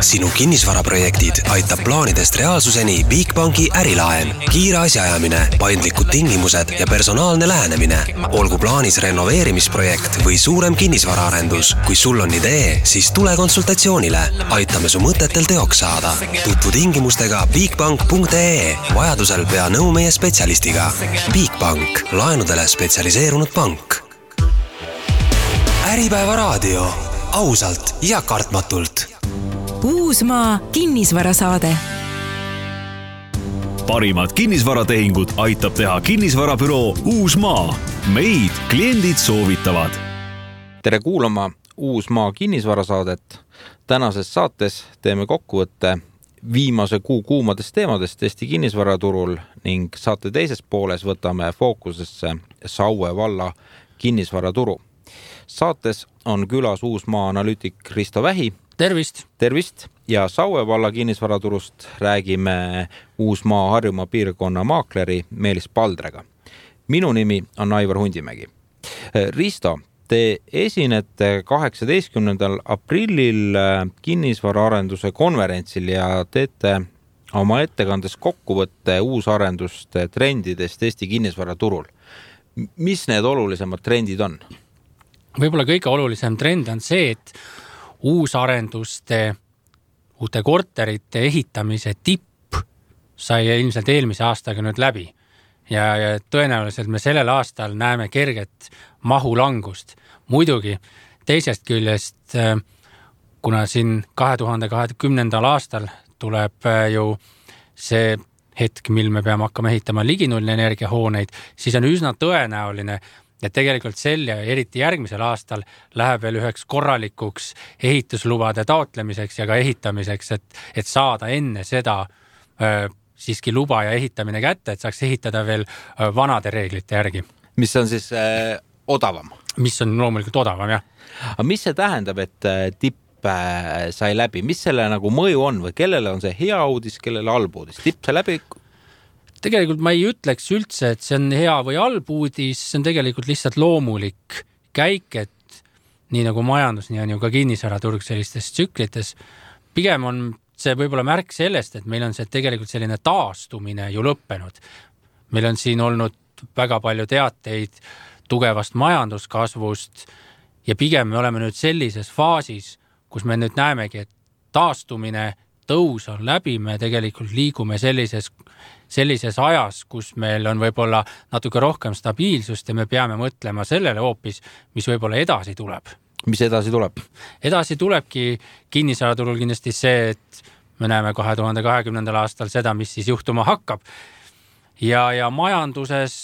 Sinu kinnisvaraprojektid aitab plaanidest reaalsuseni Bigbanki ärilaen. Kiire asjaajamine, paindlikud tingimused ja personaalne lähenemine. Olgu plaanis renoveerimisprojekt või suurem kinnisvaraarendus. Kui sul on idee, siis tule konsultatsioonile. Aitame su mõtetel teoks saada. Tutvu tingimustega bigbank.ee. Vajadusel pea nõu meie spetsialistiga. Bigbank. Laenudele spetsialiseerunud pank. Äripäeva raadio. Ausalt ja kartmatult. Uusmaa kinnisvarasaade. Parimad kinnisvaratehingud aitab teha kinnisvarabüroo Uusmaa. Meid kliendid soovitavad. Tere kuulama Uusmaa kinnisvarasaadet. Tänases saates teeme kokkuvõtte viimase kuu kuumadest teemadest Eesti kinnisvaraturul ning saate teises pooles võtame fookusesse Saue valla kinnisvaraturu. Saates on külas Uusmaa analüütik Risto Vähi. Tervist! Tervist! Ja Saue valla kinnisvaraturust räägime Uusmaa Harjumaa piirkonna maakleri Meelis Paldrega. Minu nimi on Aivar Hundimägi. Risto, te esinete 18. aprillil kinnisvaraarenduse konverentsil ja teete oma ettekandes kokkuvõtte uusarenduste trendidest Eesti kinnisvaraturul. Mis need olulisemad trendid on? Võib-olla kõige olulisem trend on see, et uusarenduste, uute korterite ehitamise tipp sai ilmselt eelmise aastaga nüüd läbi. Ja tõenäoliselt me sellel aastal näeme kerget mahulangust. Muidugi teisest küljest, kuna siin 2020. aastal tuleb ju see hetk, mil me peame hakkama ehitama liginullne energiahooneid, siis on üsna tõenäoline, et tegelikult sel ja eriti järgmisel aastal läheb veel üheks korralikuks ehituslubade taotlemiseks ja ka ehitamiseks, et saada enne seda siiski luba ja ehitamine kätte, et saaks ehitada veel vanade reeglite järgi. Mis on siis odavam? Mis on loomulikult odavam, jah. Aga mis see tähendab, et tipp sai läbi? Mis selle nagu mõju on või kellele on see hea uudis, kellele halb uudis? Tipp sai läbi? Tegelikult ma ei ütleks üldse, et see on hea või halb uudis, see on tegelikult lihtsalt loomulik käik, et nii nagu majandus, nii on ju ka kinnisvaraturg sellistes tsüklites. Pigem on see võib-olla märk sellest, et meil on see tegelikult selline taastumine ju lõppenud. Meil on siin olnud väga palju teateid tugevast majanduskasvust ja pigem me oleme nüüd sellises faasis, kus me nüüd näemegi, et taastumine, tõus on läbi, me tegelikult liigume sellises ajas, kus meil on võib-olla natuke rohkem stabiilsust ja me peame mõtlema sellele hoopis, mis võib-olla edasi tuleb. Mis edasi tuleb? Edasi tulebki kinnisvaraturul kindlasti see, et me näeme 2020. aastal seda, mis siis juhtuma hakkab. Ja majanduses,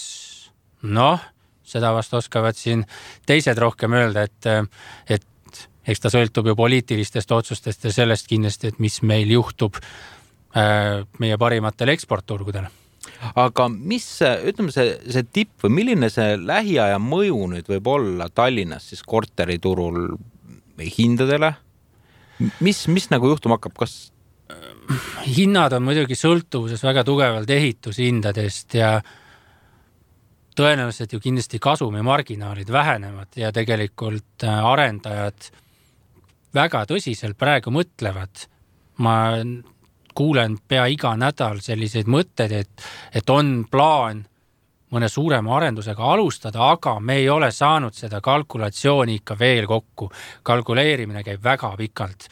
seda vast oskavad siin teised rohkem öelda, et eks ta sõltub ju poliitilistest otsustest ja sellest kindlasti, et mis meil juhtub meie parimatel eksportturgudel. Aga mis, ütleme see tipp või milline see lähiaja mõju nüüd võib olla Tallinnas siis korteriturul hindadele? Mis nagu juhtuma hakkab? Kas hinnad on muidugi sõltuvuses väga tugevalt ehitushindadest ja tõenäoliselt ju kindlasti kasumi marginaalid vähenevad ja tegelikult arendajad väga tõsiselt praegu mõtlevad. Ma kuulen pea iga nädal selliseid mõtted, et on plaan mõne suurema arendusega alustada, aga me ei ole saanud seda kalkulatsiooni ikka veel kokku. Kalkuleerimine käib väga pikalt,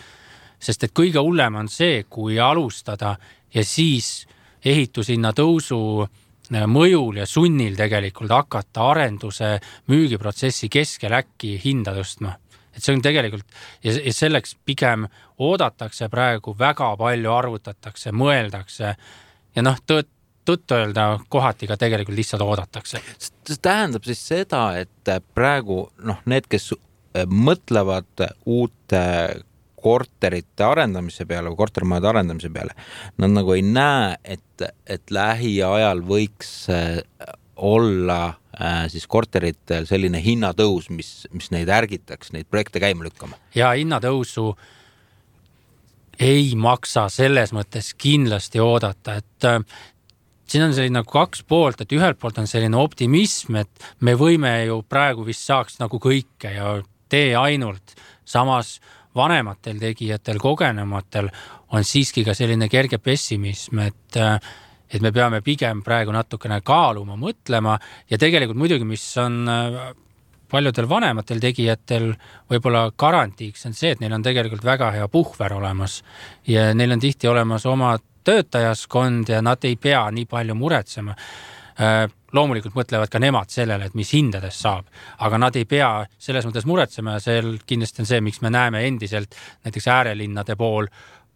sest et kõige hullem on see, kui alustada ja siis ehitushinna tõusu mõjul ja sunnil tegelikult hakata arenduse müügiprotsessi keskel äkki hinda tõstma. Et see on tegelikult, ja selleks pigem oodatakse praegu, väga palju arvutatakse, mõeldakse ja tõtt öelda kohati ka tegelikult lihtsalt oodatakse. See tähendab siis seda, et praegu need, kes mõtlevad uute korterite arendamise peale või kortermajade arendamise peale, nad nagu ei näe, et lähiajal võiks olla siis korteritel selline hinnatõus, mis neid ärgitaks, neid projekte käima lükkama. Ja hinnatõusu ei maksa selles mõttes kindlasti oodata, et siin on selline nagu kaks poolt, et ühelt poolt on selline optimism, et me võime ju praegu vist saaks nagu kõike ja tee ainult. Samas vanematel tegijatel, kogenematel on siiski ka selline kerge pessimism, et me peame pigem praegu natukene kaaluma, mõtlema ja tegelikult muidugi, mis on paljudel vanematel tegijatel võib-olla garantiiks on see, et neil on tegelikult väga hea puhver olemas ja neil on tihti olemas oma töötajaskond ja nad ei pea nii palju muretsema. Loomulikult mõtlevad ka nemad sellele, et mis hindades saab, aga nad ei pea selles mõttes muretsema ja see kindlasti on see, miks me näeme endiselt näiteks äärelinnade pool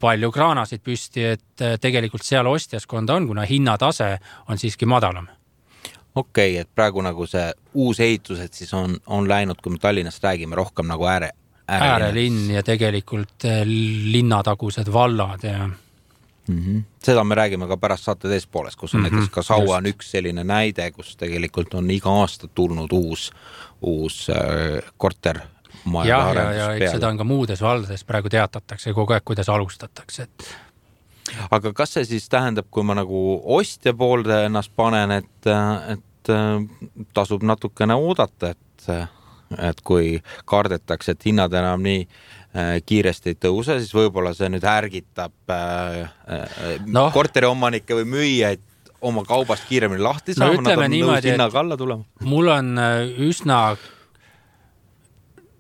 palju kraanasid püsti, et tegelikult seal ostjaskonda on, kuna hinnatase on siiski madalam. Okei, et praegu nagu see uus ehitused siis on läinud, kui me Tallinnast räägime, rohkem nagu äärelinn ja tegelikult linnatagused vallad ja Seda me räägime ka pärast saate teist poolest, kus on näiteks ka Saua on üks selline näide, kus tegelikult on iga aasta tulnud uus kortermaja arendus peale. Ja seda on ka muudes valdades praegu teatatakse kogu aeg, kuidas alustatakse. Aga kas see siis tähendab, kui ma nagu ostja poolde ennast panen, et tasub natukene oodata, et kui kardetakse, et hinnad enam nii kiiresti ei tõuse, siis võib-olla see nüüd ärgitab korteriomanikke või müüjaid oma kaubast kiiremini lahti saama, nad on nõus hinnaga alla tulema. Mul on üsna,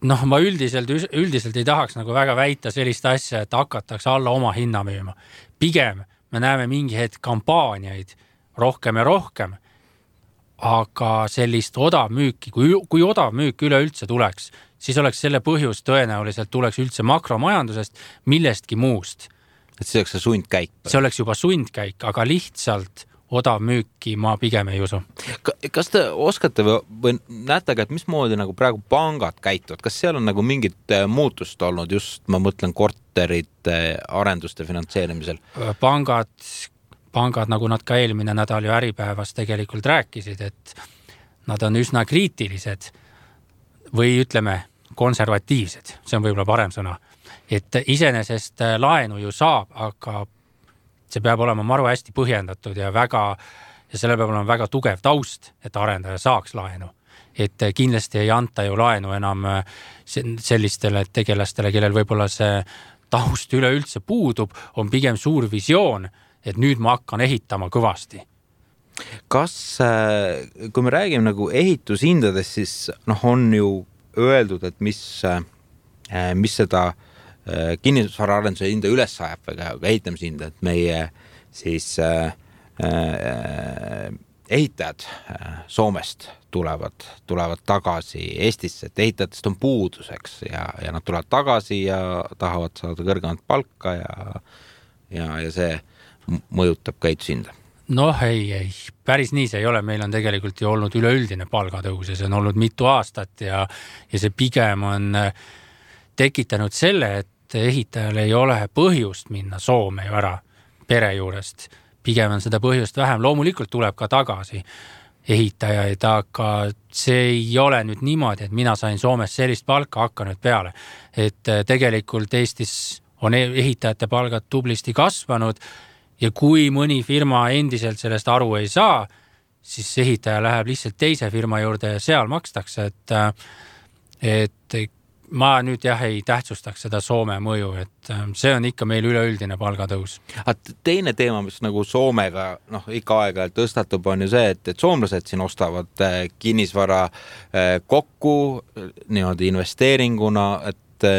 ma üldiselt ei tahaks nagu väga väita sellist asja, et hakatakse alla oma hinna müüma. Pigem me näeme mingi hetk kampaaniaid rohkem ja rohkem, aga sellist odavmüüki, kui odavmüük üleüldse tuleks, siis oleks selle põhjus tõenäoliselt tuleks üldse makromajandusest millestki muust. Et see oleks see sundkäik? See oleks juba sundkäik, aga lihtsalt odavmüüki ma pigem ei usu. Kas te oskate või näetage, et mismoodi nagu praegu pangad käituvad? Kas seal on nagu mingit muutust olnud just, ma mõtlen, korterite arenduste finantseerimisel? Pangad, nagu nad ka eelmine nädal ju Äripäevas tegelikult rääkisid, et nad on üsna kriitilised või ütleme konservatiivsed, see on võib-olla parem sõna, et iseenesest laenu ju saab, aga see peab olema maru hästi põhjendatud ja selle peab olema väga tugev taust, et arendaja saaks laenu. Et kindlasti ei anta ju laenu enam sellistele tegelastele, kellel võib-olla see taust üleüldse puudub, on pigem suur visioon, et nüüd ma hakkan ehitama kõvasti. Kas, kui me räägime nagu ehitushindadest, siis on ju öeldud, et mis seda kinnisvaraarenduse hinda üles sajab või ehitamishinda, et meie siis ehitajad Soomest tulevad tagasi Eestisse, et ehitajatest on puuduseks ja nad tulevad tagasi ja tahavad saada kõrgemat palka ja see mõjutab ka ehitushinda. Ei, päris nii see ei ole. Meil on tegelikult ju olnud üleüldine palgatõus ja see on olnud mitu aastat ja see pigem on tekitanud selle, et ehitajal ei ole põhjust minna Soome ju ära pere juurest. Pigem on seda põhjust vähem. Loomulikult tuleb ka tagasi ehitajaid, aga see ei ole nüüd niimoodi, et mina sain Soomes sellist palka hakka nüüd peale. Et tegelikult Eestis on ehitajate palgad tublisti kasvanud ja kui mõni firma endiselt sellest aru ei saa, siis ehitaja läheb lihtsalt teise firma juurde ja seal makstakse, et ma nüüd ei tähtsustaks seda Soome mõju, et see on ikka meil üleüldine palgatõus. Teine teema, mis nagu Soomega ikka aega tõstatub, on ju see, et soomlased siin ostavad kinnisvara kokku niimoodi investeeringuna, et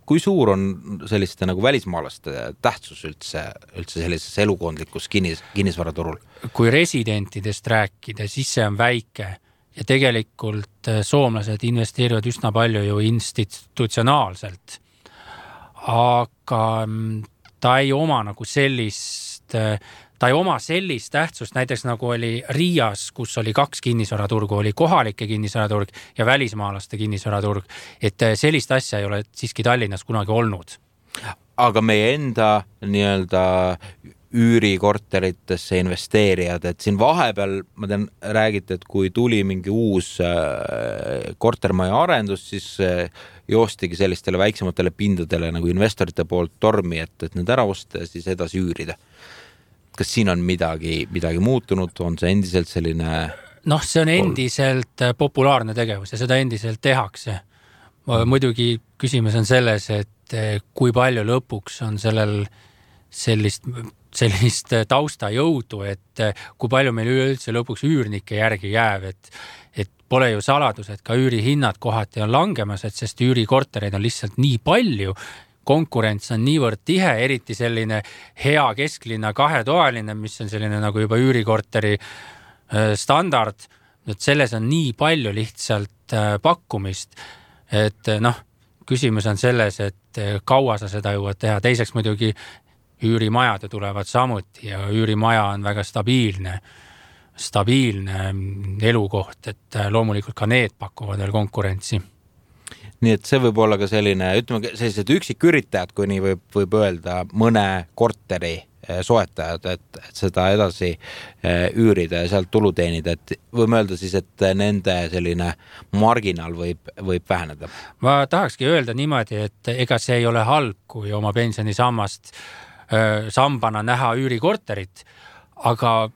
kui suur on selliste nagu välismaalaste tähtsus üldse sellises elukondlikus kinnisvaraturul? Kui residentidest rääkida, siis see on väike ja tegelikult soomlased investeerivad üsna palju ju institutsionaalselt. Aga ta ei oma nagu sellist tähtsust, näiteks nagu oli Riias, kus oli 2 kinnisvaraturgu, oli kohalike kinnisvaraturg ja välismaalaste kinnisvaraturg, et sellist asja ei ole siiski Tallinnas kunagi olnud. Aga meie enda nii-öelda üürikorteritesse investeerijad, et siin vahepeal, ma tean, räägite, et kui tuli mingi uus kortermaja arendus, siis joostigi sellistele väiksematele pindadele nagu investorite poolt tormi, et need ära osta ja siis edasi üürida. Kas siin on midagi muutunud? On see endiselt selline... see on endiselt populaarne tegevus ja seda endiselt tehakse. Muidugi küsimus on selles, et et kui palju lõpuks on sellel sellist taustajõudu, et kui palju meil üleüldse lõpuks üürnike järgi jääb, et pole ju saladus, et ka üürihinnad kohati on langemas, et sest üürikortereid on lihtsalt nii palju, konkurents on niivõrd tihe, eriti selline hea kesklinna kahetoaline, mis on selline nagu juba üürikorteri standard, et selles on nii palju lihtsalt pakkumist, et küsimus on selles, et kaua sa seda jõuad teha. Teiseks muidugi üürimajad tulevad samuti ja üürimaja on väga stabiilne elukoht, et loomulikult ka need pakuvad veel konkurentsi. Nii et see võib olla ka selline, ütleme, sellised üksiküritajad, kui nii võib öelda, mõne korteri soetajad, et seda edasi üürida ja sealt tulu teenida, et võime öelda siis, et nende selline marginaal võib väheneda. Ma tahakski öelda niimoodi, et ega see ei ole halb, kui oma pensionisammast sambana näha üürikorterit, aga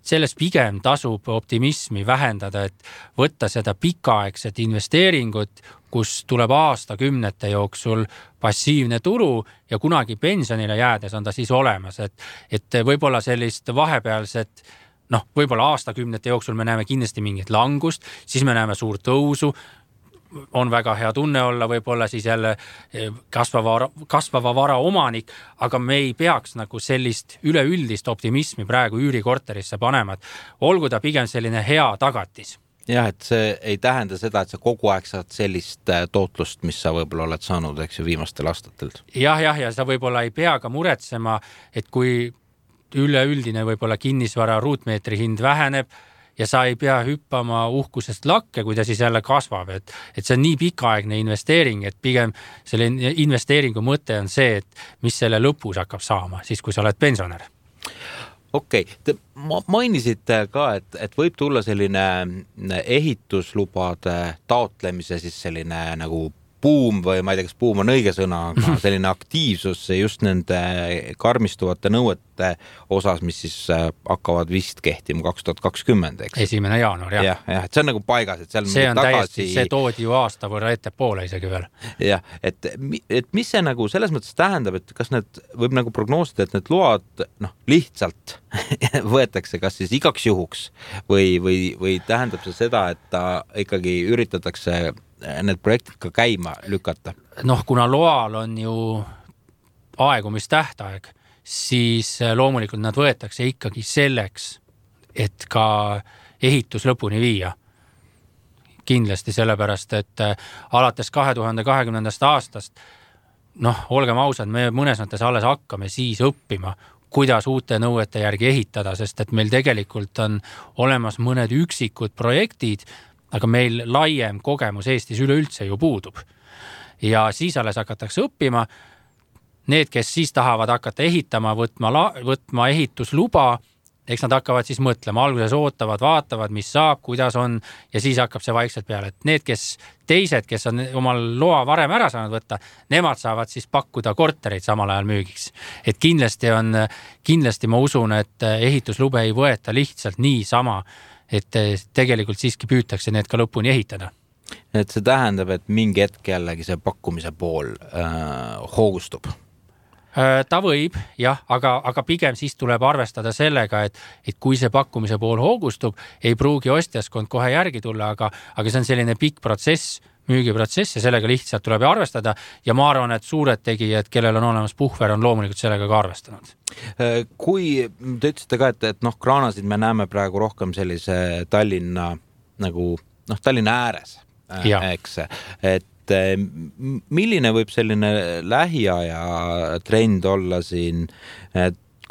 selles pigem tasub optimismi vähendada, et võtta seda pikaaegset investeeringut, kus tuleb aastakümnete jooksul passiivne tulu ja kunagi pensionile jäädes on ta siis olemas, et võib-olla sellist vahepealset, võib-olla aastakümnete jooksul me näeme kindlasti mingit langust, siis me näeme suurt tõusu, on väga hea tunne olla, võib-olla siis jälle kasvava vara omanik, aga me ei peaks nagu sellist üleüldist optimismi praegu üürikorterisse panema, et olgu ta pigem selline hea tagatis. Jah, et see ei tähenda seda, et sa kogu aeg saad sellist tootlust, mis sa võib-olla oled saanud, eks ju, viimastel aastatel. Ja sa võib-olla ei pea ka muretsema, et kui üleüldine võib-olla kinnisvara ruutmeetri hind väheneb, ja sa ei pea hüppama uhkusest lakke, kui ta siis jälle kasvab, et see on nii pikaaegne investeering, et pigem selle investeeringu mõte on see, et mis selle lõpus hakkab saama, siis kui sa oled pensionär. Okei, te mainisite ka, et võib tulla selline ehituslubade taotlemise siis selline nagu buum või ma ei tea, kas buum on õige sõna, aga selline aktiivsus just nende karmistuvate nõuete osas, mis siis hakkavad vist kehtima 2020, eks? 1. jaanuar, jah. Jah, et see on nagu paigas, et seal see on täiesti, see toodi ju aasta võrra ettepoole isegi veel. Jah, et mis see nagu selles mõttes tähendab, et kas need võib nagu prognoosida, et need load lihtsalt võetakse kas siis igaks juhuks või tähendab see seda, et ta ikkagi üritatakse need projektid ka käima lükata? Kuna loal on ju aegumistähtaeg, siis loomulikult nad võetakse ikkagi selleks, et ka ehitus lõpuni viia. Kindlasti sellepärast, et alates 2020. aastast, olgem ausad, me mõnes mõttes alles hakkame siis õppima, kuidas uute nõuete järgi ehitada, sest et meil tegelikult on olemas mõned üksikud projektid, aga meil laiem kogemus Eestis üleüldse ju puudub. Ja siis alles hakatakse õppima. Need, kes siis tahavad hakata ehitama, võtma ehitusluba, eks nad hakkavad siis mõtlema, alguses ootavad, vaatavad, mis saab, kuidas on ja siis hakkab see vaikselt peale. Et need, kes on omal loa varem ära saanud võtta, nemad saavad siis pakkuda kortereid samal ajal müügiks. Et kindlasti ma usun, et ehituslube ei võeta lihtsalt niisama, et tegelikult siiski püütakse need ka lõpuni ehitada. Et see tähendab, et mingi hetk jällegi see pakkumise pool hoogustub? Ta võib, jah, aga pigem siis tuleb arvestada sellega, et kui see pakkumise pool hoogustub, ei pruugi ostjaskond kohe järgi tulla, aga see on selline pikk protsess, müügiprotsess ja sellega lihtsalt tuleb arvestada ja ma arvan, et suured tegijad, kellel on olemas puhver, on loomulikult sellega ka arvestanud. Kui te ütlesite ka, et kraanasid me näeme praegu rohkem sellise Tallinna ääres, eks, et milline võib selline lähiaja trend olla siin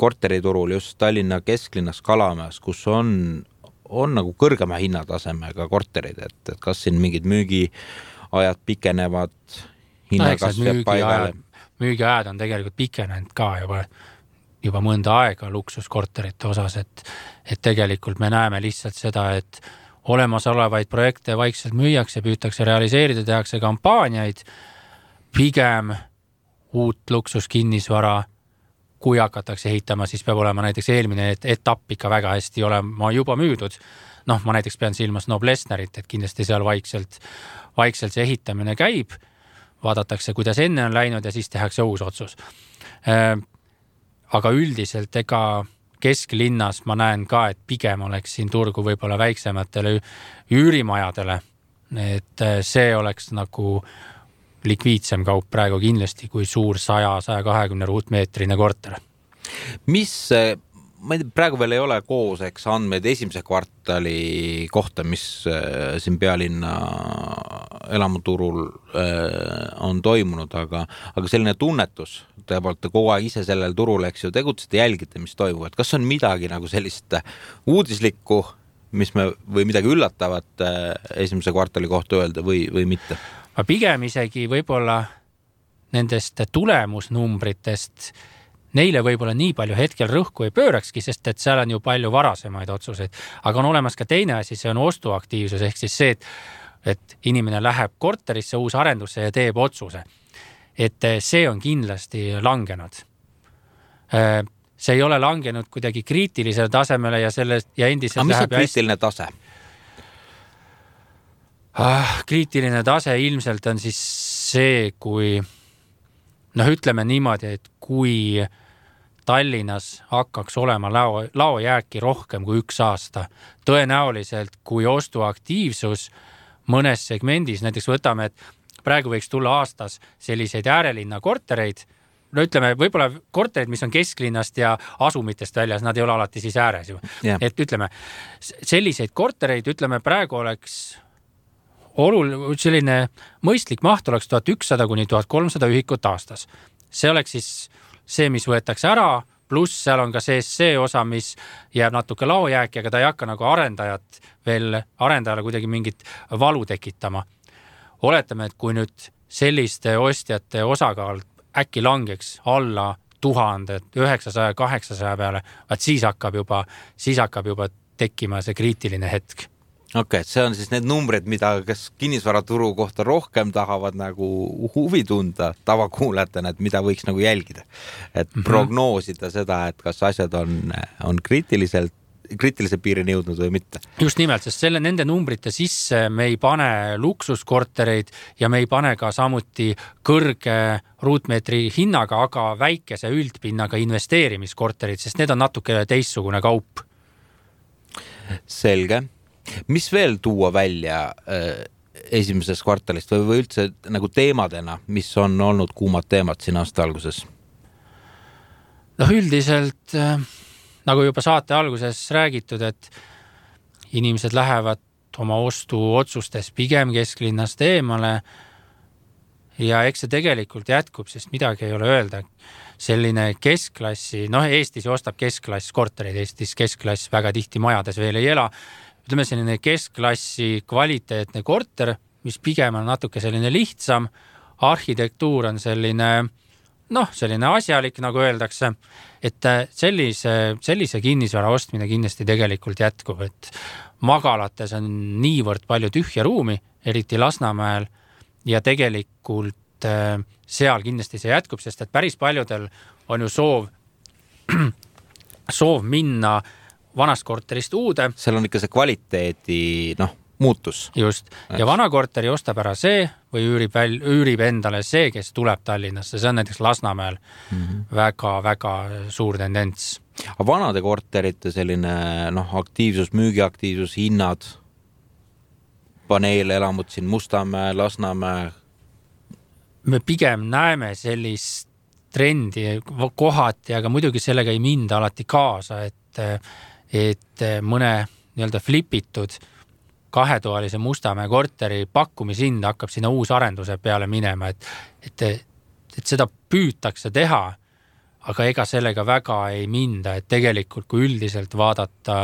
korteriturul just Tallinna kesklinnas Kalamäes, kus on nagu kõrgema hinnatasemega korterid, et kas siin mingid müügiajad pikenevad, hinnakasv jääb paigale? Müügiajad on tegelikult pikenenud ka juba mõnda aega luksuskorterite osas, et tegelikult me näeme lihtsalt seda, et olemasolevaid projekte vaikselt müüakse, püütakse realiseerida, tehakse kampaaniaid, pigem uut luksuskinnisvara, kui hakatakse ehitama, siis peab olema näiteks eelmine etapp ikka väga hästi olema juba müüdud. Ma näiteks pean silmas Noblessnerit, et kindlasti seal vaikselt see ehitamine käib. vaadatakse, kuidas enne on läinud ja siis tehakse uus otsus. Aga üldiselt ega kesklinnas ma näen ka, et pigem oleks siin turgu võib-olla väiksematele üürimajadele. Et see oleks nagu likviidsem kaup praegu kindlasti kui suur 100-120 ruutmeetrine korter. Mis, ma ei tea, praegu veel ei ole kooseks andmeid esimese kvartali kohta, mis siin pealinna elamuturul on toimunud, aga selline tunnetus, te olete kogu aeg ise sellel turul, eks ju, tegutsete, jälgite, mis toimub, et kas on midagi nagu sellist uudislikku, või midagi üllatavat esimese kvartali kohta öelda või mitte? Ma pigem isegi võib-olla nendest tulemusnumbritest neile võib-olla nii palju hetkel rõhku ei pöörakski, sest et seal on ju palju varasemaid otsuseid. Aga on olemas ka teine asi, see on ostuaktiivsus, ehk siis see, et inimene läheb korterisse, uus arendusse ja teeb otsuse. Et see on kindlasti langenud. See ei ole langenud kuidagi kriitilisele tasemele ja sellest ja endiselt läheb. Aga mis on kriitiline tase? Kriitiline tase ilmselt on siis see, kui ütleme niimoodi, et kui Tallinnas hakkaks olema laojääki rohkem kui 1 aasta, tõenäoliselt kui ostuaktiivsus mõnes segmendis, näiteks võtame, et praegu võiks tulla aastas selliseid äärelinna kortereid, ütleme, võib-olla korterid, mis on kesklinnast ja asumitest väljas, nad ei ole alati siis ääres ju. Yeah. Et ütleme, selliseid kortereid, ütleme, praegu oleks selline mõistlik maht oleks 1100 kuni 1300 ühikut aastas. See oleks siis see, mis võetakse ära, pluss seal on ka see osa, mis jääb natuke laojääki, aga ta ei hakka nagu arendajale kuidagi mingit valu tekitama. Oletame, et kui nüüd selliste ostjate osakaal äkki langeks alla 1000, 900-800 peale, siis hakkab juba tekkima see kriitiline hetk. Okei, see on siis need numbrid, mida kes kinnisvaraturu kohta rohkem tahavad nagu huvi tunda tavakuulajatena, et mida võiks nagu jälgida. Et prognoosida seda, et kas asjad on kriitilise piirini jõudnud või mitte. Just nimelt, sest nende numbrite sisse me ei pane luksuskortereid ja me ei pane ka samuti kõrge ruutmeetri hinnaga, aga väikese üldpinnaga investeerimiskorterid, sest need on natuke teistsugune kaup. Selge. Mis veel tuua välja esimesest kvartalist või üldse nagu teemadena, mis on olnud kuumad teemad siin aasta alguses? Üldiselt, nagu juba saate alguses räägitud, et inimesed lähevad oma ostuotsustes pigem kesklinnast eemale ja eks see tegelikult jätkub, sest midagi ei ole öelda. Selline keskklassi, Eestis ostab keskklass kortereid, Eestis keskklass väga tihti majades veel ei ela. Ütleme selline keskklassi kvaliteetne korter, mis pigem on natuke selline lihtsam, arhitektuur on selline asjalik, nagu öeldakse, et sellise kinnisvara ostmine kindlasti tegelikult jätkub, et magalates on niivõrd palju tühja ruumi, eriti Lasnamäel, ja tegelikult seal kindlasti see jätkub, sest et päris paljudel on ju soov minna vanast korterist uude. Seal on ikka see kvaliteedi, muutus. Just. Ja vana korteri ostab ära see või üürib endale see, kes tuleb Tallinnasse. See on näiteks Lasnamäel väga-väga suur tendents. Aga vanade korterite selline aktiivsus, müügiaktiivsus, hinnad, paneelelamud siin Mustamäe, Lasnamäe. Me pigem näeme sellist trendi kohati, aga muidugi sellega ei minda alati kaasa, et mõne nii-öelda flipitud 2-toalise Mustamäe korteri pakkumishind hakkab sinna uus arenduse peale minema, et seda püütakse teha, aga ega sellega väga ei minda, et tegelikult kui üldiselt vaadata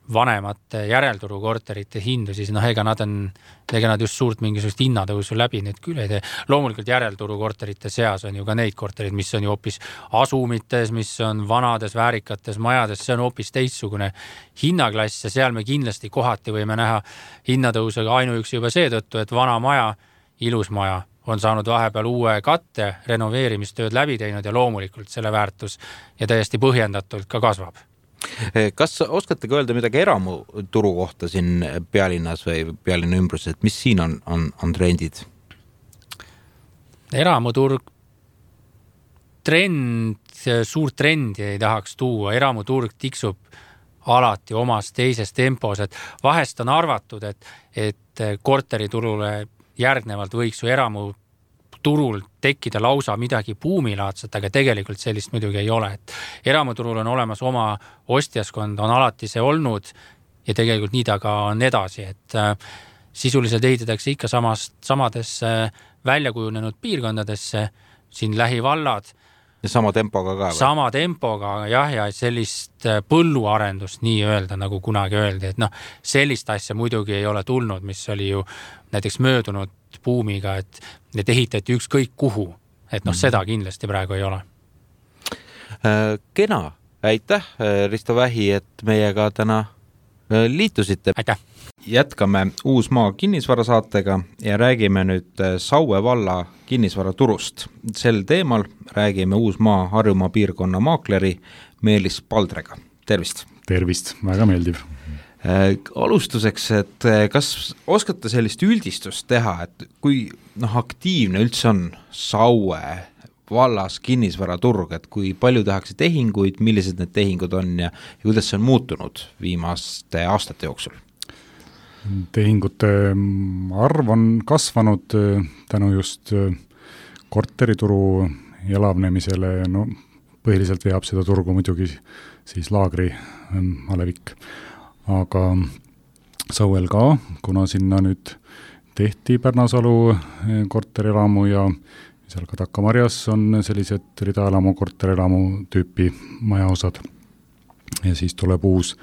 vanemate järelturu korterite hindu, siis ega nad just suurt mingisugust hinnatõusu läbi nüüd küll ei tee. Loomulikult järelturu korterite seas on ju ka neid korterid, mis on ju hoopis asumites, mis on vanades väärikates majades, see on hoopis teistsugune hinnaklass ja seal me kindlasti kohati võime näha hinnatõusega ainuüksi juba seetõttu, et vana maja, ilus maja on saanud vahepeal uue katte, renoveerimistööd läbi teinud ja loomulikult selle väärtus ja täiesti põhjendatult ka kasvab. Kas oskategi öelda midagi eramuturu kohta siin pealinnas või pealinna ümbruses, et mis siin on trendid? eramuturg suurt trendi ei tahaks tuua, eramuturg tiksub alati omas teises tempos, et vahest on arvatud, et korteriturule järgnevalt võiks ju eramuturul tekkida lausa midagi buumilaadset, aga tegelikult sellist muidugi ei ole. Et eramuturul on olemas oma ostjaskond, on alati see olnud ja tegelikult nii ta ka on edasi, et sisuliselt ehitatakse ikka samadesse väljakujunenud piirkondadesse, siin lähivallad. Ja sama tempoga ka? Sama tempoga, jah, ja sellist põlluarendust nii öelda, nagu kunagi öeldi, et sellist asja muidugi ei ole tulnud, mis oli ju näiteks möödunud buumiga, et ehitati ükskõik kuhu, et seda kindlasti praegu ei ole. Kena, aitäh, Risto Vähi, et meiega täna liitusite. Aitäh! Jätkame Uusmaa kinnisvarasaatega ja räägime nüüd Saue valla kinnisvaraturust. Sel teemal räägime Uusmaa Harjumaa piirkonna maakleri Meelis Paldrega. Tervist! Tervist, väga meeldiv. Alustuseks, et kas oskate sellist üldistust teha, et kui aktiivne üldse on Saue vallas kinnisvaraturg, et kui palju tehakse tehinguid, millised need tehingud on ja kuidas see on muutunud viimaste aastate jooksul? Tehingute arv on kasvanud tänu just korterituru elavnemisele, põhiliselt veab seda turgu muidugi siis laagri alevik, aga Sauel ka, kuna sinna nüüd tehti Pärnasalu korterelamu ja seal ka Takamarjas on sellised ridaelamu, korterelamu tüüpi majaosad ja siis tuleb uus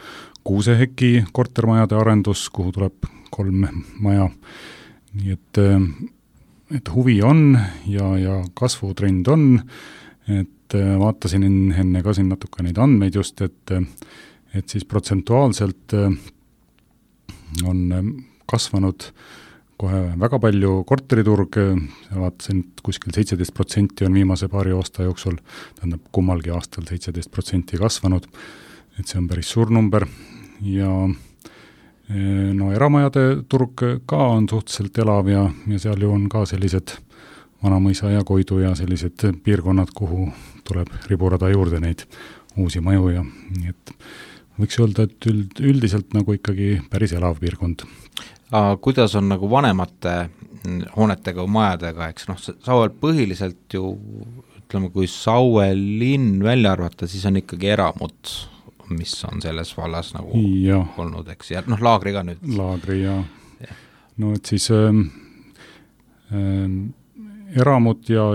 Kuuseheki kortermajade arendus, kuhu tuleb 3 maja. Nii et huvi on ja kasvutrend on, et vaatasin enne ka siin natuke neid andmeid just, et siis protsentuaalselt on kasvanud kohe väga palju korteriturg, vaatasin, et kuskil 17% on viimase paari aasta jooksul, tähendab kummalgi aastal 17% kasvanud, et see on päris suur number ja eramajade turg ka on suhteliselt elav ja seal ju on ka sellised Vanamõisa ja Koidu ja sellised piirkonnad, kuhu tuleb riburada juurde neid uusi maju ja nii et võiks öelda, et üldiselt nagu ikkagi päris elav piirkond. Kuidas on nagu vanemate hoonetega või majadega, eks Sauel põhiliselt ju, ütleme, kui Saue linn välja arvata, siis on ikkagi eramud, mis on selles vallas nagu ja olnud, eks, ja laagri ka nüüd. Laagri ja. Et siis eramud ja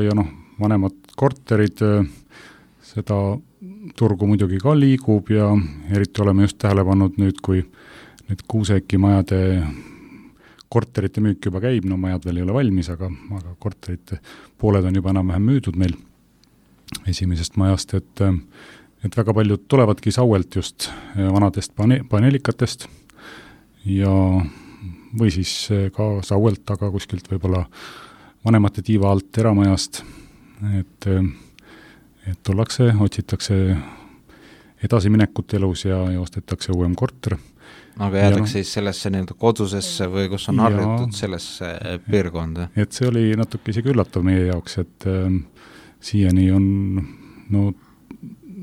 vanemad korterid, seda turgu muidugi ka liigub ja eriti oleme just tähele pannud nüüd, kui nüüd Kuuseki majade korterite müük juba käib, majad veel ei ole valmis, aga korterite pooled on juba enam-vähem müüdud meil esimesest majast, et väga paljud tulevadki Sauelt just vanadest paneelikatest ja või siis ka Sauelt, aga kuskilt võib-olla vanemate tiiva alt eramajast, et tullakse, otsitakse edasiminekut elus ja ostetakse uuem korter. Aga jäädakse siis sellesse kodusesse või kus on harjutud sellesse piirkonda? Et see oli natuke isegi üllatav meie jaoks, et siiani on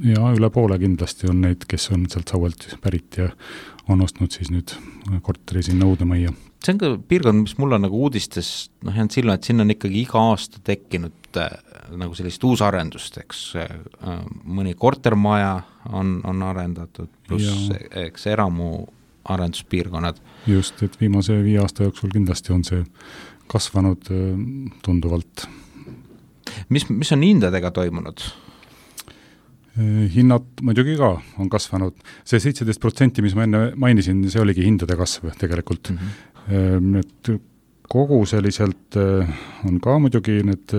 ja üle poole kindlasti on neid, kes on sealt Sauelt pärit ja on ostnud siis nüüd korteri sinna uude majja. See on ka piirkond, mis mul on nagu uudistes jäänud silma, et sinna on ikkagi iga aasta tekkinud nagu sellist uusarendust, eks mõni kortermaja on arendatud, pluss eks eramu arenduspiirkonnad. Just, et viimase 5 aasta jooksul kindlasti on see kasvanud tunduvalt. Mis on hindadega toimunud? Hinnad muidugi ka on kasvanud. See 17%, mis ma enne mainisin, see oligi hindade kasv tegelikult. Et kogu selliselt on ka muidugi need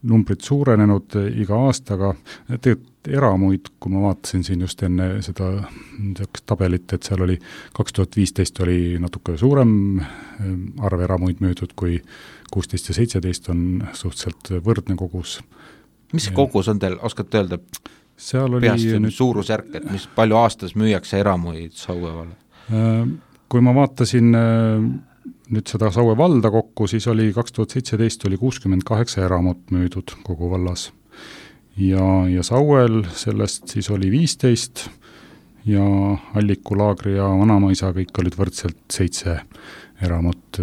numbrid suurenenud iga aastaga. Eramuid, kui ma vaatasin siin just enne seda tabelit, et seal oli 2015 oli natuke suurem arv eramuid müüdud kui 16 ja 17 on suhteliselt võrdne kogus. Mis see kogus on teil, oskate öelda? Seal oli suurusjärk, et mis palju aastas müüakse eramuid Saue valla? Kui ma vaatasin nüüd seda Saue valda kokku, siis oli 2017 oli 68 eramut müüdud kogu vallas. Ja Sauel sellest siis oli 15 ja Alliku, Laagri ja Vanamaisa kõik olid võrdselt 7 eramut.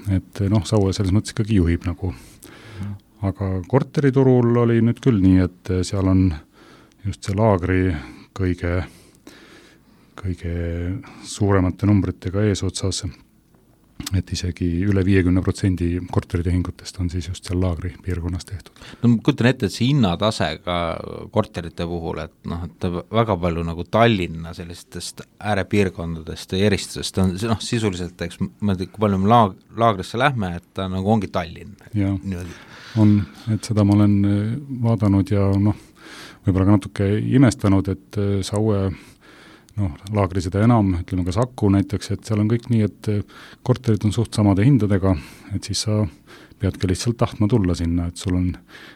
Et Saue selles mõttes ikkagi juhib nagu. Aga korteriturul oli nüüd küll nii, et seal on just see Laagri kõige suuremate numbritega eesotsas, et isegi üle 50% korteritehingutest on siis just seal Laagri piirkonnas tehtud. No ma kujutan ette, et see hinnatase ka korterite puhul, et väga palju nagu Tallinna sellistest äärepiirkondadest ja eristusest on sisuliselt, eks ma ei tea, kui palju me Laagrisse lähme, et ta nagu ongi Tallinn. Ja, on, et seda ma olen vaadanud ja võib-olla ka natuke imestanud, et Saue Laagri seda enam, ütleme ka Saku näiteks, et seal on kõik nii, et korterid on suht samade hindadega, et siis sa peadki lihtsalt tahtma tulla sinna, et sul on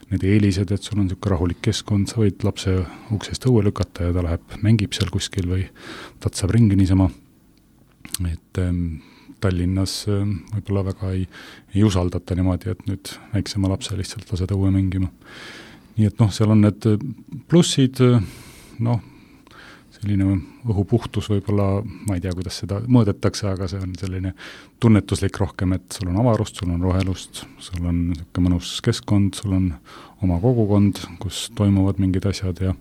need eelised, et sul on niisugune rahulik keskkond, sa võid lapse uksest õue lükata ja ta läheb, mängib seal kuskil või tatsab ringi niisama. Et Tallinnas võib-olla väga ei usaldata niimoodi, et nüüd väiksema lapse lihtsalt lased õue mängima. Nii et seal on need plussid, selline õhupuhtus võib-olla, ma ei tea, kuidas seda mõõdetakse, aga see on selline tunnetuslik rohkem, et sul on avarust, sul on rohelust, sul on niisugune mõnus keskkond, sul on oma kogukond, kus toimuvad mingid asjad ja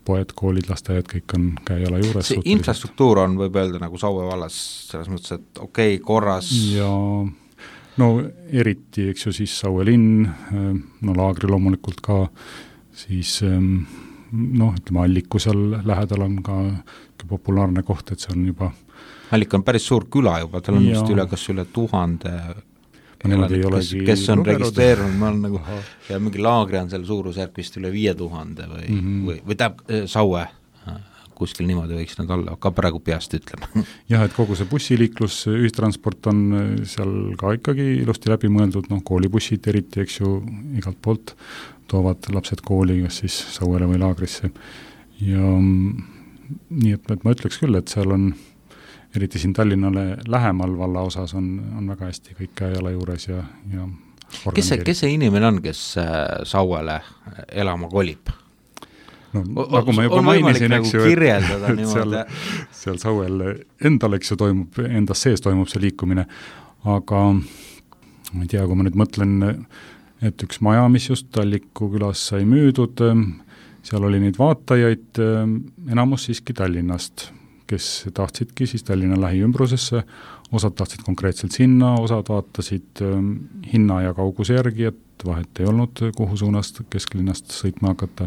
poed, koolid, lasteaiad, kõik on käe-jala juures. See infrastruktuur on, võib öelda, nagu Saue vallas selles mõttes, et okei, korras. Ja eriti, eks ju, siis Saue linn, Laagri loomulikult ka, siis ütleme, Alliku seal lähedal on ka populaarne koht, et see on juba Allik on päris suur küla juba, tal on just kas üle 1000 kes on registreerunud, ma olen nagu ja mingi Laagri on seal suurusjärk vist üle 5000 või tähendab Saue kuskil niimoodi võiks nad olla, ka praegu peast ütlema. Jah, et kogu see bussiliiklus, ühistransport on seal ka ikkagi ilusti läbi mõeldud, koolibussid eriti, eks ju, igalt poolt toovad lapsed kooli, kas siis Sauele või Laagrisse. Ja nii, et ma ütleks küll, et seal on, eriti siin Tallinnale lähemal valla osas on väga hästi kõik käe-jala juures ja kes see inimene on, kes Sauele elama kolib? Nagu ma juba mainisin, eks ju, et seal Sauel endal, eks ju, endas sees toimub see liikumine, aga ma ei tea, kui ma nüüd mõtlen, et üks maja, mis just Alliku külas sai müüdud, seal oli neid vaatajaid enamus siiski Tallinnast, kes tahtsidki siis Tallinna lähiümbrusesse, osad tahtsid konkreetselt sinna, osad vaatasid hinna ja kauguse järgi, et vahet ei olnud, kuhu suunast kesklinnast sõitma hakata.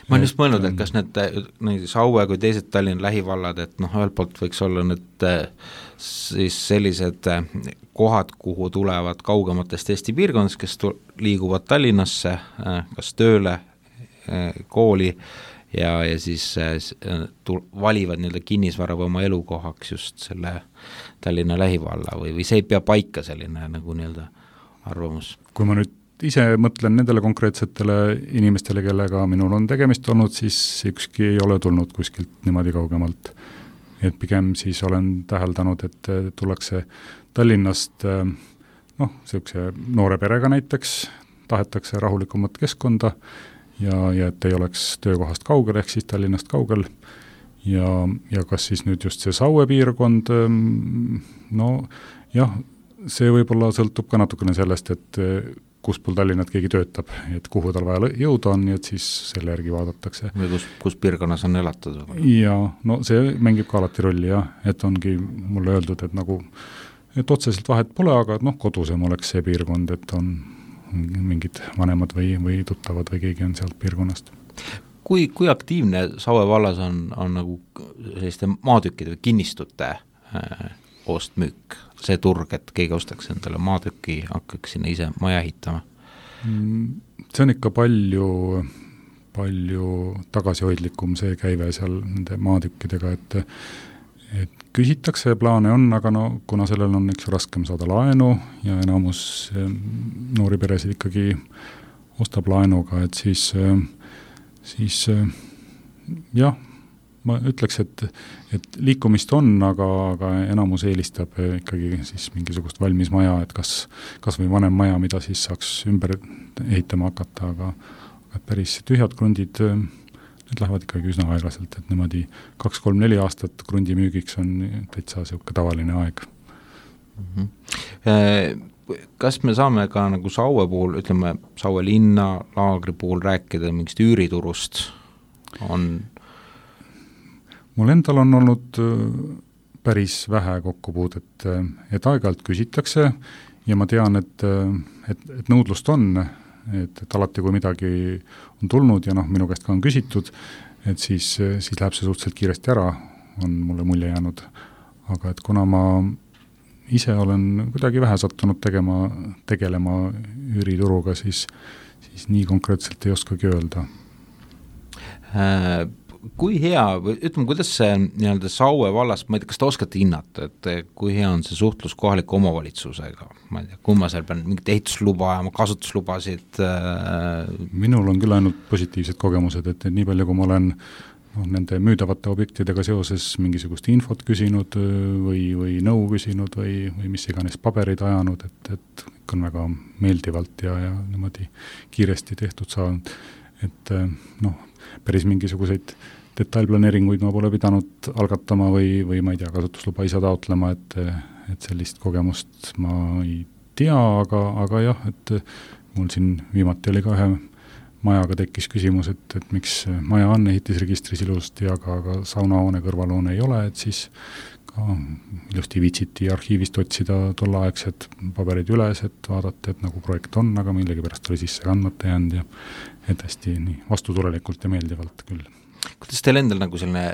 Ma olen just mõelnud, et kas need Saue kui teised Tallinna lähivallad, et ühelt poolt võiks olla need siis sellised kohad, kuhu tulevad kaugematest Eesti piirkondadest, kes liiguvad Tallinnasse, kas tööle, kooli ja siis valivad nii-öelda kinnisvara või oma elukohaks just selle Tallinna lähivalla või see ei pea paika selline nagu nii-öelda arvamus. Kui ma nüüd ise mõtlen nendele konkreetsetele inimestele, kellega minul on tegemist olnud, siis ükski ei ole tulnud kuskilt niimoodi kaugemalt. Et pigem siis olen täheldanud, et tullakse Tallinnast selline noore perega näiteks, tahetakse rahulikumat keskkonda ja et ei oleks töökohast kaugel, ehk siis Tallinnast kaugel. Ja kas siis nüüd just see Saue piirkond, see võib-olla sõltub ka natukene sellest, et kus pool Tallinnat keegi töötab, et kuhu tal vaja jõuda on, nii et siis selle järgi vaadatakse. Või kus piirkonnas on elatud? Ja see mängib ka alati rolli, et ongi mulle öeldud, et otseselt vahet pole, aga kodusem oleks see piirkond, et on mingid vanemad või tuttavad või keegi on sealt piirkonnast. Kui aktiivne Saue vallas on nagu selliste maatükkide või kinnistute ostmüük, see turg, et keegi ostaks endale maatüki, hakkaks sinna ise maja ehitama? See on ikka palju tagasihoidlikum see käive seal nende maatükkidega, et küsitakse, plaane on, aga kuna sellel on üks raskem saada laenu ja enamus noori peresid ikkagi ostab laenuga, et siis jah, ma ütleks, et liikumist on, aga enamus eelistab ikkagi siis mingisugust valmis maja, et kas või vanem maja, mida siis saaks ümber ehitama hakata, aga päris tühjad krundid, need lähevad ikkagi üsna aeglaselt, et niimoodi 2-3-4 aastat krundi müügiks on täitsa siuke tavaline aeg. Kas me saame ka nagu Saue puhul, ütleme Saue linna, laagri puhul rääkida mingist üüriturust? Mul endal on olnud päris vähe kokkupuudet, et aeg-ajalt küsitakse ja ma tean, et nõudlust on, et alati kui midagi on tulnud ja minu käest ka on küsitud, et siis läheb see suhteliselt kiiresti ära, on mulle mulje jäänud. Aga et kuna ma ise olen kuidagi vähe sattunud tegelema üürituruga, siis nii konkreetselt ei oskagi öelda. Kui hea, ütleme, kuidas see nii-öelda Saue vallas, ma ei tea, kas te oskate hinnata, et kui hea on see suhtlus kohaliku omavalitsusega? Ma ei tea, kui ma seal pean mingit ehitusluba ja kasutuslubasid? Minul on küll ainult positiivsed kogemused, et nii palju, kui ma olen nende müüdavate objektidega seoses mingisugust infot küsinud või nõu küsinud või mis iganes paberid ajanud, et on väga meeldivalt ja niimoodi kiiresti tehtud saanud, et päris mingisuguseid detailplaneeringuid ma pole pidanud algatama või ma ei tea, kasutusluba ise taotlema, et sellist kogemust ma ei tea, aga jah, et mul siin viimati oli ka ühe majaga tekkis küsimus, et miks maja on ehitisregistris ilusti, aga saunahoone kõrvalhoone ei ole, et siis ka ilusti viitsiti arhiivist otsida tolleaegsed paberid üles, et vaadata, et nagu projekt on, aga millegipärast oli sisse kandmata jäänud ja et hästi nii vastutulelikult ja meeldivalt küll. Kuidas teil endal nagu selline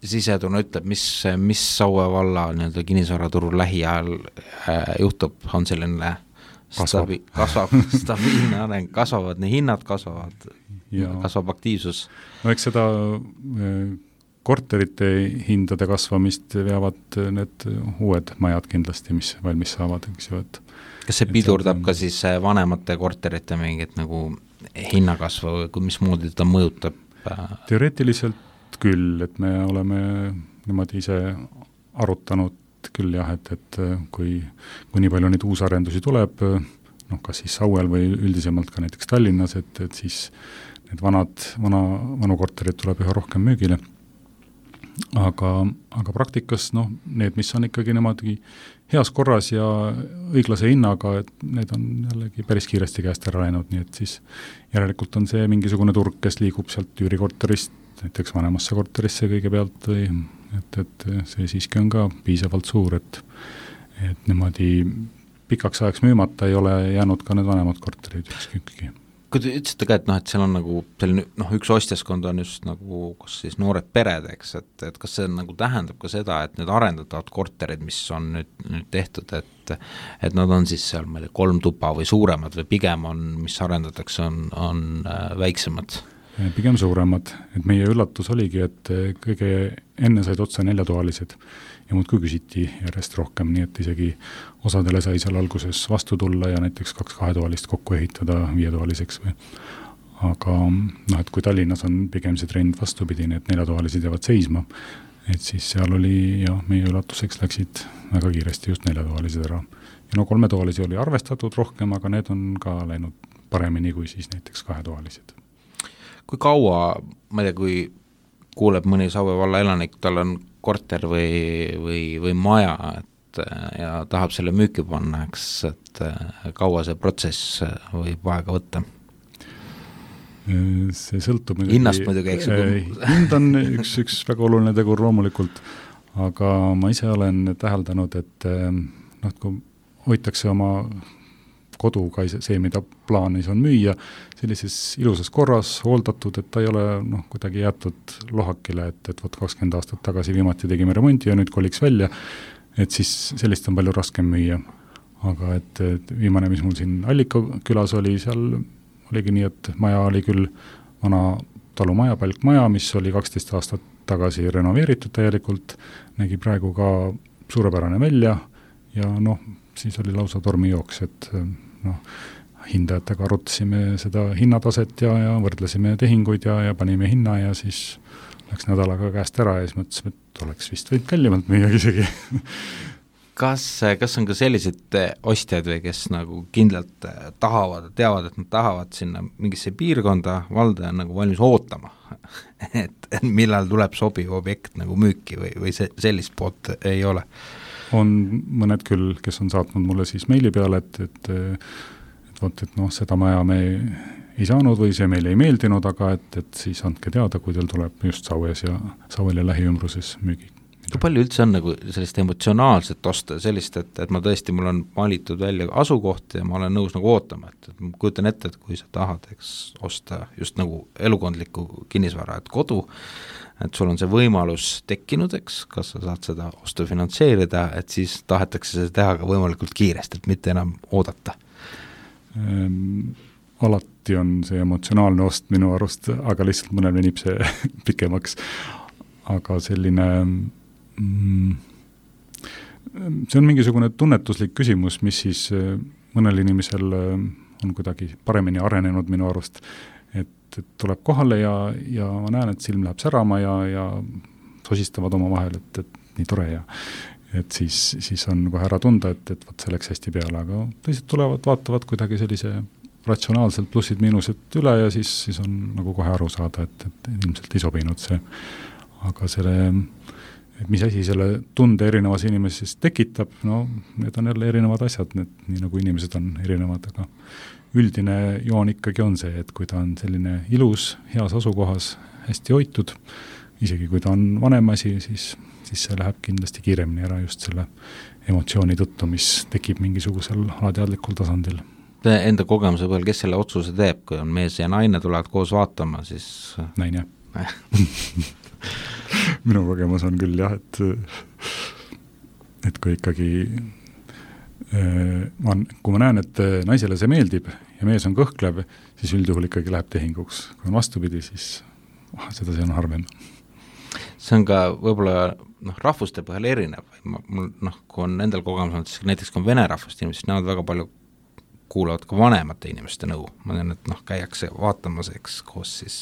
sisetunne ütleb, mis Saue valla nii-öelda kinnisvaraturul lähiajal juhtub, on selline kasvab stabiilne areng, kasvavad, nii hinnad kasvavad, kasvab aktiivsus. No eks seda korterite hindade kasvamist veavad need uued majad kindlasti, mis valmis saavad, eks ju, et kas see pidurdab ka siis vanemate korterite mingit nagu hinnakasvu või mismoodi ta mõjutab? Teoreetiliselt küll, et me oleme niimoodi ise arutanud küll jah, et kui nii palju neid uusarendusi tuleb, kas siis Sauel või üldisemalt ka näiteks Tallinnas, et siis need vanu korterid tuleb üha rohkem müügile. Aga praktikas need, mis on ikkagi niimoodi heas korras ja õiglase hinnaga, et need on jällegi päris kiiresti käest ära läinud, nii et siis järelikult on see mingisugune turg, kes liigub sealt üürikorterist näiteks vanemasse korterisse kõigepealt või et see siiski on ka piisavalt suur, et niimoodi pikaks ajaks müümata ei ole jäänud ka need vanemad korterid ükskõikki. Kui te ütlesite ka, et seal on nagu selline, üks ostjaskond on just nagu, kas siis noored pered, eks, et kas see nagu tähendab ka seda, et need arendatavad korterid, mis on nüüd tehtud, et nad on siis seal, ma ei tea, 3 tuba või suuremad või pigem on, mis arendatakse, on väiksemad? Pigem suuremad, et meie üllatus oligi, et kõige enne said otsa 4-toalised ja muudkui küsiti järjest rohkem, nii et isegi osadele sai seal alguses vastu tulla ja näiteks 2 2-toalist kokku ehitada 5-toaliseks või. Aga et kui Tallinnas on pigem see trend vastupidine, et 4-toalised jäävad seisma, et siis seal oli ja meie üllatuseks läksid väga kiiresti just 4-toalised ära. Ja 3-toalisi oli arvestatud rohkem, aga need on ka läinud paremini kui siis näiteks 2-toalised. Kui kaua, ma ei tea, kui kuuleb mõni Saue valla elanik, tal on korter või maja, ja tahab selle müüki panna, eks, et kaua see protsess võib aega võtta? See sõltub hinnast muidugi, eks. Hind on üks väga oluline tegur loomulikult, aga ma ise olen täheldanud, et kui hoitakse oma koduga see, mida plaanis on müüa, sellises ilusas korras, hooldatud, et ta ei ole kuidagi jäetud lohakile, et 20 aastat tagasi viimati tegime remonti ja nüüd koliks välja, et siis sellist on palju raskem müüa. Aga et viimane, mis mul siin Allika külas oli, seal oligi nii, et maja oli küll vana talumaja, palkmaja, mis oli 12 aastat tagasi renoveeritud täielikult, nägi praegu ka suurepärane välja ja siis oli lausa tormijooks, et hindajatega arutasime seda hinnataset ja võrdlesime tehinguid ja panime hinna ja siis läks nädalaga käest ära ja siis mõtlesime, et oleks vist võinud kallimalt müüa isegi. Kas on ka sellised ostjad või kes nagu kindlalt tahavad, teavad, et nad tahavad sinna mingisse piirkonda, valdaja on nagu valmis ootama, et millal tuleb sobiv objekt nagu müüki või sellist poolt ei ole? On mõned küll, kes on saatnud mulle siis meili peale, et seda maja me ei saanud või see meile ei meeldinud, aga et siis andke teada, kui teil tuleb just Saues ja Sauel ja lähiümbruses müügi. Kui palju üldse on nagu sellist emotsionaalset osta, sellist, et ma tõesti, mul on valitud välja asukoht ja ma olen nõus nagu ootama, et ma kujutan ette, et kui sa tahad osta just nagu elukondlikku kinnisvara, et kodu, et sul on see võimalus tekkinud, kas sa saad seda ostu finantseerida, et siis tahetakse seda teha ka võimalikult kiiresti, et mitte enam oodata. Alati on see emotsionaalne ost minu arust, aga lihtsalt mõnel venib see pikemaks. Aga selline see on mingisugune tunnetuslik küsimus, mis siis mõnel inimesel on kuidagi paremini arenenud minu arust, et tuleb kohale ja ma näen, et silm läheb särama ja sosistavad oma vahel, et nii tore ja et siis on kohe ära tunda, et võt see läks hästi peale, aga teised tulevad, vaatavad kuidagi sellise ratsionaalselt plussid-miinused üle ja siis on nagu kohe aru saada, et ilmselt ei sobinud see. Aga et mis asi selle tunde erinevas inimeses tekitab, no need on jälle erinevad asjad, nii nagu inimesed on erinevad, aga üldine joon ikkagi on see, et kui ta on selline ilus, heas asukohas, hästi hoitud, isegi kui ta on vanem asi, siis see läheb kindlasti kiiremini ära just selle emotsiooni tõttu, mis tekib mingisugusel alateadlikul tasandil. Enda kogemuse põhjal, kes selle otsuse teeb, kui on mees ja naine tulevad koos vaatama, siis... Naine. Minu kogemus on küll jah, et kui ikkagi kui ma näen, et naisele see meeldib ja mees on kõhklev, siis üldjuhul ikkagi läheb tehinguks. Kui on vastupidi, siis seda see on harvem. See on ka võib-olla rahvuste põhjal erinev. Kui on nendel kogemus, siis näiteks kui on vene rahvust inimesed, siis näevad väga palju kuulavad ka vanemate inimeste nõu. Ma tean, et käiakse vaatamas koos siis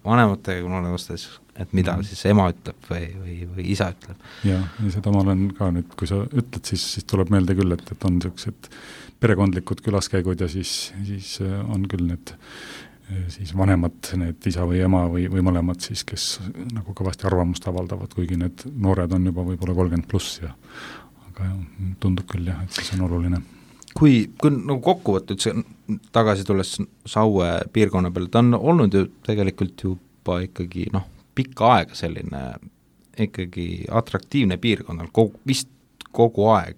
vanematega, kui olen vastas, et mida siis ema ütleb või isa ütleb. Ja seda ma olen ka nüüd, kui sa ütled, siis tuleb meelde küll, et on sellised perekondlikud külaskäigud ja siis on küll need siis vanemad, need isa või ema või mõlemad siis, kes nagu kõvasti arvamust avaldavad, kuigi need noored on juba võib-olla 30+, aga tundub küll jah, et siis on oluline. Kui nagu kokkuvõttud tagasi tulles Saue piirkonna peale, ta on olnud ju tegelikult juba ikkagi pikka aega selline ikkagi atraktiivne piirkonnal, vist kogu aeg,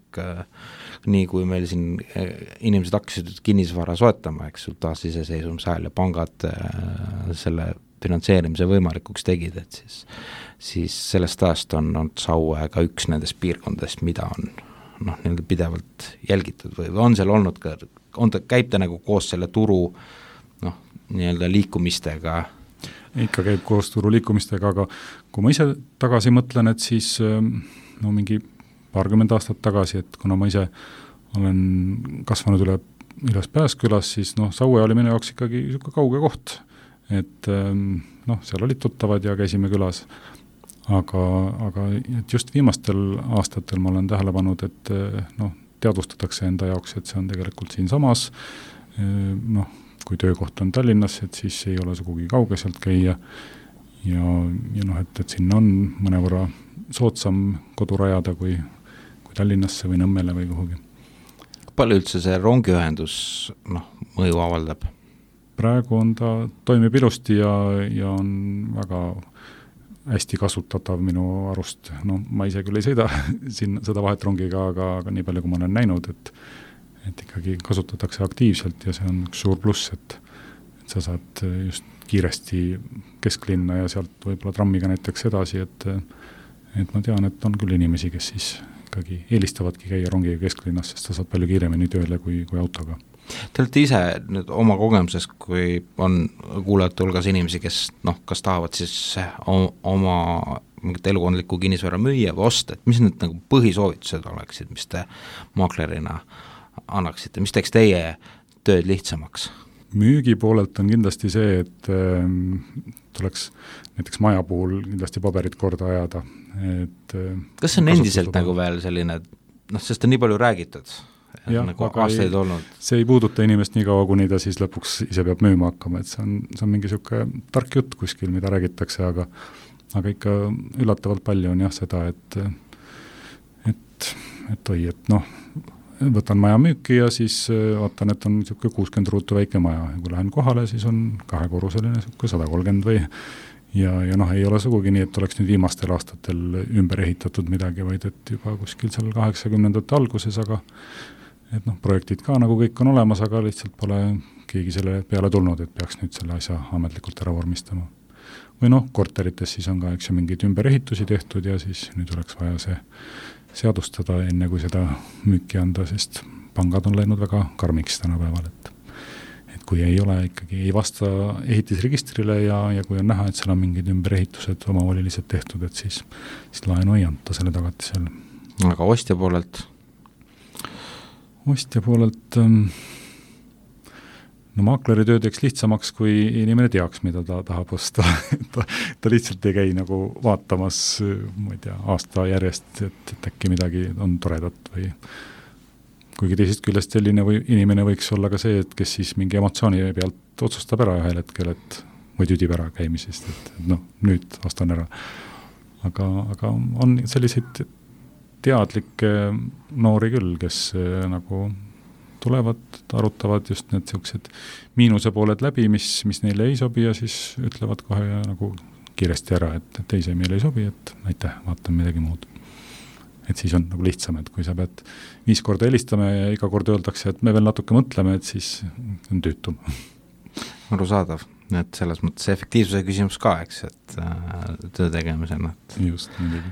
nii kui meil siin inimesed hakkasid kinnisvara soetama, taas iseseisvumise ajal ja pangad selle finantseerimise võimalikuks tegid, et siis sellest ajast on Saue ka üks nendest piirkondadest, mida on nii-öelda pidevalt jälgitud või on seal olnud ka, käib ta nagu koos selle turu nii-öelda liikumistega? Ikka käib koos turu liikumistega, aga kui ma ise tagasi mõtlen, et siis mingi 20 aastat tagasi, et kuna ma ise olen kasvanud üles Pääskülas, siis Saue oli minu jaoks ikkagi kauge koht, et seal olid tuttavad ja käisime külas. Aga et just viimastel aastatel ma olen tähele pannud, et teadvustatakse enda jaoks, et see on tegelikult siin samas, kui töökoht on Tallinnas, et siis ei ole sugugi kauge sealt käia ja et sinna on mõnevõrra soodsam kodu rajada kui Tallinnasse või Nõmmele või kuhugi. Palju üldse see rongiühendus mõju avaldab? Praegu on ta toimib ilusti ja on väga hästi kasutatav minu arust. Ma ise küll ei sõida siin seda vahet rongiga, aga nii palju, kui ma olen näinud, et ikkagi kasutatakse aktiivselt ja see on üks suur pluss, et sa saad just kiiresti kesklinna ja sealt võib-olla trammiga näiteks edasi, et ma tean, et on küll inimesi, kes siis ikkagi eelistavadki käia rongiga kesklinnas, sest sa saad palju kiiremini tööle kui autoga. Te olete ise nüüd oma kogemuses, kui on kuulajate hulgas inimesi, kes kas tahavad siis oma mingit elukondlikku kinnisvara müüa või osta, et mis need nagu põhisoovitused oleksid, mis te maaklerina annaksite, mis teeks teie tööd lihtsamaks? müügi poolelt on kindlasti see, et tuleks näiteks maja puhul kindlasti paberid korda ajada. Kas see on endiselt nagu veel selline, sest on nii palju räägitud, nagu aastaid olnud? See ei puuduta inimest nii kaua, kuni ta siis lõpuks ise peab müüma hakkama, et see on mingi siuke tark jutt kuskil, mida räägitakse, aga ikka üllatavalt palju on jah seda, et võtan maja müüki ja siis vaatan, et on niisugune 60 ruutu väike maja ja kui lähen kohale, siis on 2-korruseline niisugune 130 või ja ei ole sugugi nii, et oleks nüüd viimastel aastatel ümber ehitatud midagi, vaid et juba kuskil seal 80ndate alguses, aga et projektid ka nagu kõik on olemas, aga lihtsalt pole keegi selle peale tulnud, et peaks nüüd selle asja ametlikult ära vormistama. Või korterites siis on ka mingeid ümberehitusi tehtud ja siis nüüd oleks vaja see seadustada enne, kui seda müüki anda, sest pangad on läinud väga karmiks tänapäeval, et kui ei ole ikkagi, ei vasta ehitisregistrile ja kui on näha, et seal on mingid ümberehitused omavoliliselt tehtud, et siis laenu ei anta selle tagatisele. Aga ostja poolelt? Ostja poolelt maakleri töö teeks lihtsamaks, kui inimene teaks, mida ta tahab osta. ta lihtsalt ei käi nagu vaatamas, ma ei tea, aasta järjest, et äkki midagi on toredat või kuigi teisest küljest selline inimene võiks olla ka see, et kes siis mingi emotsiooni pealt otsustab ära ühel hetkel, et või tüdib ära käimisest, et nüüd ostan ära. Aga on selliseid teadlikke noori küll, kes nagu tulevad, arutavad just need siuksed miinuse pooled läbi, mis neile ei sobi ja siis ütlevad kohe nagu kiiresti ära, et teise meile ei sobi, et aitäh, vaatan midagi muud. Et siis on nagu lihtsam, et kui sa pead 5 korda helistama ja iga kord öeldakse, et me veel natuke mõtleme, et siis on tüütum. Arusaadav, et selles mõttes efektiivsuse küsimus ka, eks, et töö tegemisena. Just, midagi.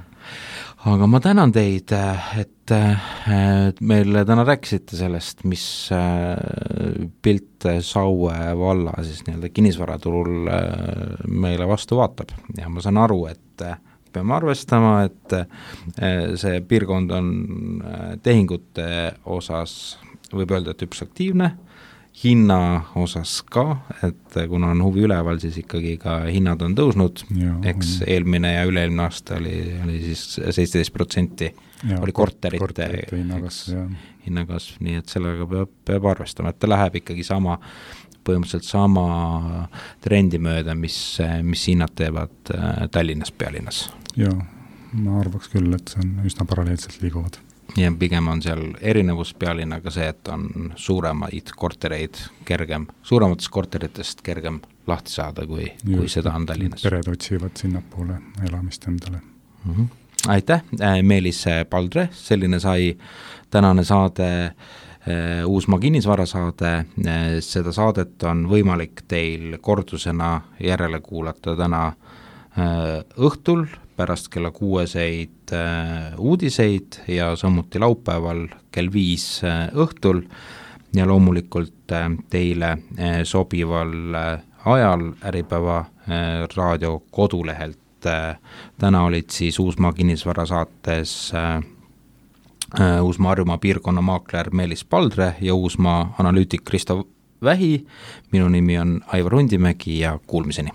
Aga ma tänan teid, et meile täna rääkisite sellest, mis pilt Saue valla siis nii-öelda kinnisvaraturul meile vastu vaatab. Ja ma saan aru, et peame arvestama, et see piirkond on tehingute osas, võib öelda, et üks aktiivne, hinna osas ka, et kuna on huvi üleval, siis ikkagi ka hinnad on tõusnud, eks eelmine ja üle-eelmine aasta oli siis 17% oli korterite hinnakasv, nii et sellega peab arvestama, et ta läheb ikkagi põhimõtteliselt sama trendi mööda, mis hinnad teevad Tallinnas pealinnas. Jaa, ma arvaks küll, et see on üsna paralleelselt liiguvad. Ja pigem on seal erinevus pealinnaga see, et on suuremaid kortereid suurematest korteritest kergem lahti saada, kui seda on Tallinnas. Pered otsivad sinnapoole elamist endale. Aitäh, Meelis Paldre, selline sai tänane saade Uusmaa kinnisvarasaade. Seda saadet on võimalik teil kordusena järele kuulata täna õhtul pärast kella 6 uudiseid ja samuti laupäeval kell 5 õhtul ja loomulikult teile sobival ajal Äripäeva raadio kodulehelt. Täna olid siis Uusmaa kinnisvarasaates Uusmaa Harjumaa piirkonna maakler Meelis Paldre ja Uusmaa analüütik Risto Vähi. Minu nimi on Aivar Hundimägi ja kuulmiseni.